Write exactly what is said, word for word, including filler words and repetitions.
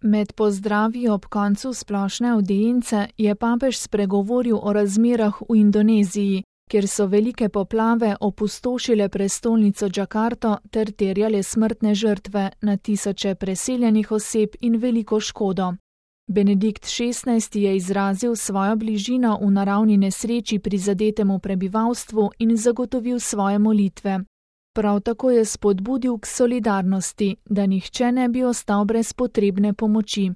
Med pozdravi ob koncu splošne avdience je papež spregovoril o razmerah v Indoneziji, kjer so velike poplave opustošile prestolnico Džakarto ter terjale smrtne žrtve, na tisoče preseljenih oseb in veliko škodo. Benedikt šestnajsti je izrazil svojo bližino v naravni nesreči prizadetemu prebivalstvu in zagotovil svoje molitve. Prav tako je spodbudil k solidarnosti, da nihče ne bi ostal brez potrebne pomoči.